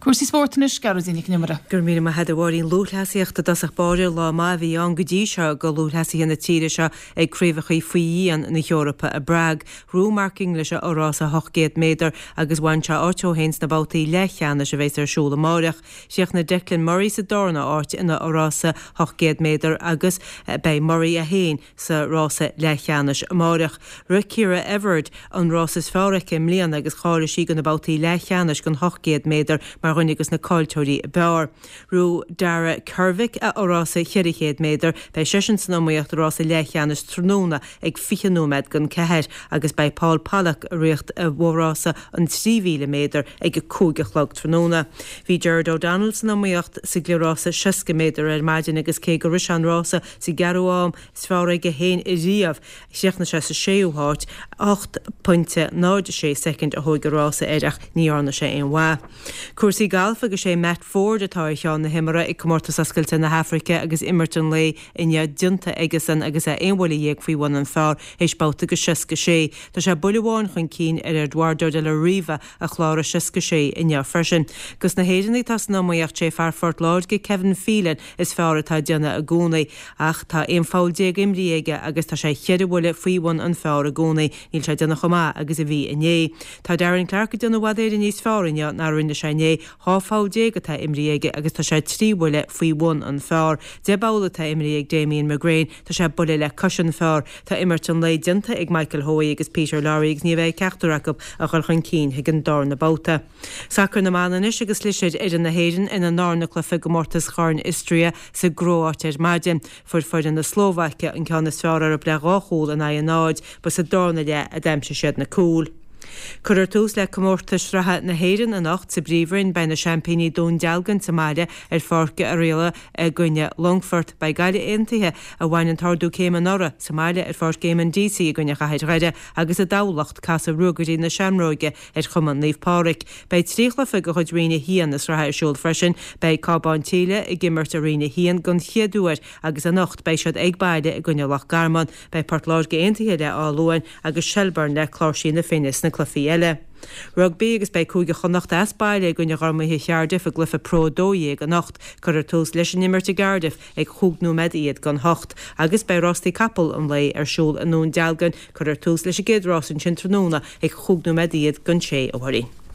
Cúrsaí spóirt anois, Gearóidín Nic an Iomaire. Go raibh míle maith agat a Mháirín. Lúthchleasaíocht i dtosach báire, lá maith a bhí ann go dtí seo do lúthchleasaithe na tíre seo ag Craobhacha faoi dhíon na hEorpa i bPrág. Ghnóthaigh Mark English a fhorás 800 méadar agus bhain sé áit dó féin sna babhtaí leathcheannais a bheas ar siúl amáireach. Chríochnaigh Declan Murray sa darna háit ina fhorás 800 méadar agus beidh Murray é féin sa rása leathcheannais amáireach. Rith Ciara Everard an rás is fearr aici i mbliana agus cháiligh sí do na babhtaí leathcheannais den 800 méadar mar dhuine de na cáilteoirí ab fhearr. Ghnóthaigh Dara Kervick a fhorás 400 méadar, beidh seisean san iomaíocht i rása leathcheannais tráthnóna ag 20 nóiméad don 4 agus beidh Paul Pollock ag rith a fhorás an 3,000 méadar ag 5 a chlog tráthnóna. Bhí Gerard O'Donnell san iomaíocht sa gcliathrás 60 méadar ar maidin agus cé gur rith sé an rása sa gceathrú am is fearr aige féin riamh, chríochnaigh sé sa séú háit, 8.06 soicind a thóig an rása air ach ní dhearna sé aon mhaith. Cúrsaí gailf agus sé Matt Forde atá ar cheann na himeartha ag Comórtas Oscailte na hAfraice agus imirt an lae inniu déanta aigesan agus é aon bhuille dhéag faoi bhun an phar théis babhta de 66. Tá sé buille amháin chun cinn ar Eduardo de la Riva a chláraigh 66 inniu freisin. Dos na hÉireannaigh atá san iomaíocht sé fear Phort Láirge Kevin Phelan is fearr atá ag déanamh i gcónaí ach tá 11 pholl imrithe aige agus tá sé cheithre bhuille faoi bhun an phar i gcónaí. Níl sé ag déanamh chomh maith agus a bhí inné. Tá Darren Clarke ag déanamh i bhfad Éireann níos fearr inniu ná a rinne sé inné. 12 pholl atá imrithe aige agus tá sé 3 bhuille faoi bhun an phar. 10 bpoll atá imrithe ag Damien McGrane. Tá sé buille le cois an phar. Tá imirt an lae déanta ag Michael Hoey agus Peter Lawrie agus ní bheidh ceachtar acu a dhul chun cinn chuig an darna babhta. Sacar na mban anois agus chlis ar fhoireann na hÉireann ina ndarna cluiche i gcomórtas Chorn Istria sa gCróit ar maidin. Fuair foireann na Slóvaice an ceann is fearr orthu le 2 chúl in aghaidh a 0. Ba sa darna leath a d'aimsigh siad na cúil. Cuirfear tús le comórtais sraithe na hÉireann anocht sa bPríomhroinn. Beidh na seaimpíní Dún Dealgan sa mbaile ar Pháirc Oirialla i gcoinne Longfort. Beidh Gaillimh Aontaithe, a bhain an t-ardú céime anuraidh, sa mbaile ar Pháirc Éamonn Deasy i gcoinne Chathair Dhoire agus i dTamhlacht, casfaidh Ruagairí na Seamróige ar Chumann Naomh Pádraig. Beidh 3 chluiche de chuid Roinn 1 na sraithe ar siúl freisin. Beidh Cábán tSíle ag imirt i Roinn 1 don chéad uair agus anocht beidh siad ag baile i gcoinne Loch Garman. Beidh Port Láirge Aontaithe le Áth Luain agus Shelbourne le Cláirsí na Finne sna cluichí eile. Rugbaí agus beidh Cúige Chonnacht as baile i gcoinne Ghormaithe Chardiff i gcluiche Pro 12 anocht. Cuirfear tús leis an imirt i gCardiff ag chúig nóiméad iad don hocht. Agus beidh rástaí capall an lae ar siúl i nDún Dealgan. Cuirfear tús leis an gcéad rás ansin tráthnóna ag chúig nóiméad iad don sé, a Mháirín.